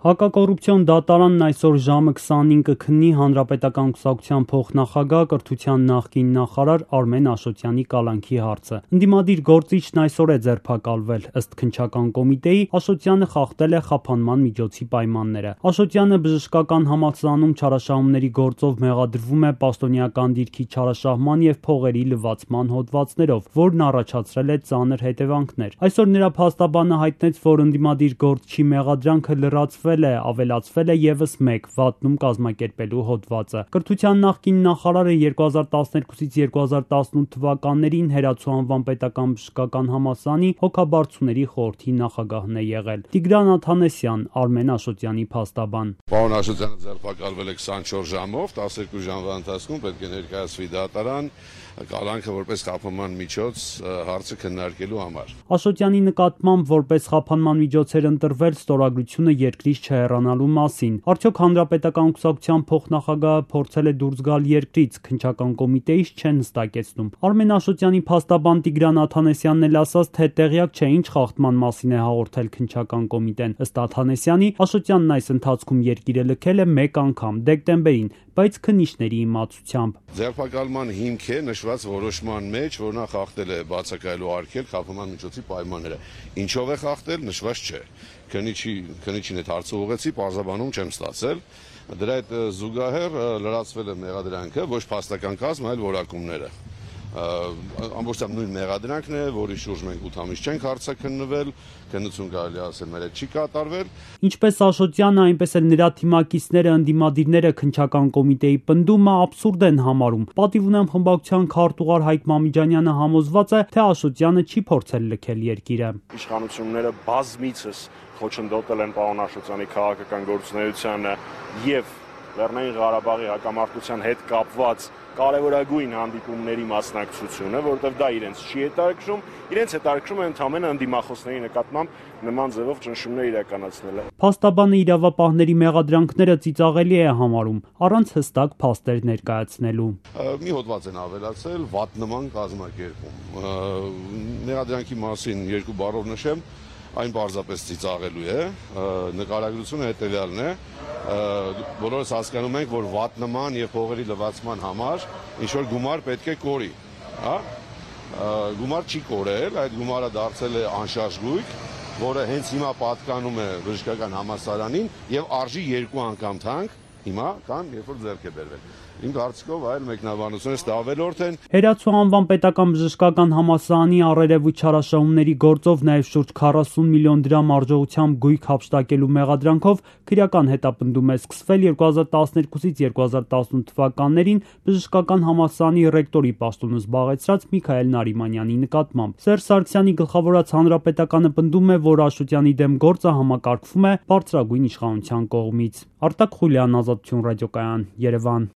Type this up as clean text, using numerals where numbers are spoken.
Հակակոռուպցիոն դատարանն այսօր ժամը 25-ը քննի Հանրապետական կուսակցության փոխնախագահ, կրթության նախկին նախարար Արմեն Աշոտյանի կալանքի հարցը։ Ընդդիմադիր գործիչն այսօր է ձերբակալվել։ Ըստ քննչական կոմիտեի, Աշոտյանը խախտել է խափանման միջոցի պայմանները։ Աշոտյանը բժշկական համալսարանում չարաշահումների գործով մեղադրվում է պաշտոնեական դիրքի չարաշահման եւ փողերի լվացման հոդվածներով, որն առաջացրել է ծանր հետևանքներ։ Այսօր նրա փաստաբանը հայտնեց, որ ընդդիմադիր գործչի մեղադրանքը լրացվել ավելացվել է եւս մեկ վատնում կազմակերպելու հոդվածը։ Կրթության նախկին նախարարը 2012-ից 2018 թվականներին Հերացու անվան պետական բժշկական համալսարանի հոգաբարձուների խորհրդի նախագահն է եղել։ Տիգրան Աթանեսյան, Արմեն Աշոտյանի փաստաբան։ Պարոն Աշոտյանը ձերբակալվել է 24 ժամով, 12 ժամվա ընթացքում պետք է ներկայացվի դատարան կալանքը որպես խափանման միջոց հարցը քննարկելու համար։ Աշոտյանի նկատմամբ որպես խափանման միջոց էր ընտրվել ստորագրությունը երկրից չհեռանալու մասին։ Արդյոք Հանրապետական կուսակցության փոխնախագահը փորձել է դուրս գալ երկրից, քննչական կոմիտեից չեն հստակեցնում։ Արմեն Աշոտյանի փաստաբան Տիգրան Աթանեսյանն էլ ասաց, թե տեղյակ չէ ինչ խախտման մասին է հաղորդել քննչական կոմիտեն։ Ըստ Աթանեսյանի, Աշոտյանն այս ընթացքում երկիրը լքել է մեկ անգամ՝ դեկտեմբերին, բայց քննիչների իմացությամբ։ Ձերբակալման հիմք է նշված որոշման մեջ, որ նա խախտել է բացակայելու արգելք խափանման միջոցի պայմանները։ Ինչով է խախտել, նշված չէ։ Քննիչին այդ հարցը ուղղեցի, պարզաբանում չեմ ստացել։ Դրա հետ զուգահեռ լրացվել է մեղադրանքը, ոչ փաստական կազմ, այլ որակումները։ Ամբողջությամբ նույն մեղադրանքն է, որի շուրջ մենք 8 ամիս չենք հարցաքննվել, քննություն կարելի ասել մեր հետ չի կատարվել։ Ինչպես Աշոտյանը, այնպես էլ նրա թիմակիցները, ընդդիմադիրները քննչական կոմիտեի պնդումը աբսուրդ են համարում։ Պատիվ ունեմ խմբակցության քարտուղար Հայկ Մամիջանյանը համոզված է, թե Աշոտյանը չի փորձել լքել երկիրը։ Իշխանությունները բազմիցս խոչընդոտել են պարոն Աշոտյանի քաղաքական գործունեությանը եւ Լեռնային Ղարաբաղի հակամարտության հետ կապված կարևորագույն հանդիպումների մասնակցությունը, որովհետև դա իրենց չի հետաքրքրում, իրենց հետաքրքրում է ընդհանրապես ընդդիմախոսների նկատմամբ նման ձևով ճնշումներ իրականացնելը։ Փաստաբանը իրավապահների մեղադրանքները ծիծաղելի է համարում, առանց հստակ փաստեր ներկայացնելու։ Մի հոդված են ավելացել վատ նման կազմակերպում։ Մեղադրանքի մասին երկու բառով նշեմ, այն պարզապես ծիծաղելու է, նկարագրությունը հետևյալն է, բոլորս հասկանում ենք, որ վատ նման եւ փողերի լվացման համար ինչ որ գումար պետք է կորի, հա? Գումար չի կորել, այդ գումարը դարձել է անշարժ գույք, որը հենց հիմա պատկանում է բժշկական համալսարանին եւ արժի 2 անգամ թանկ հիմա, քան երբ որ ձեռք է բերվել։ Իմ կարծիքով այլ մեկնաբանությունից դա ավելորդ են։ Հերացու անվան պետական բժշկական համալսարանի առերևույթ չարաշահումների գործով նաև շուրջ 40 միլիոն դրամ արժողությամբ գույք հափշտակելու մեղադրանքով քրեական հետապնդում է սկսվել 2012-ից 2018 թվականներին բժշկական համալսարանի ռեկտորի պաշտոնը զբաղեցրած Միքայել Նարիմանյանի նկատմամբ։ Սերժ Սարգսյանի գլխավորած Հանրապետականը պնդում է, որ Աշոտյանի դեմ գործը համակարգվում է բարձրագույն իշխանության կողմից։ Արտակ Խուլյան, Ազատություն ռադիոկայան, Երևան։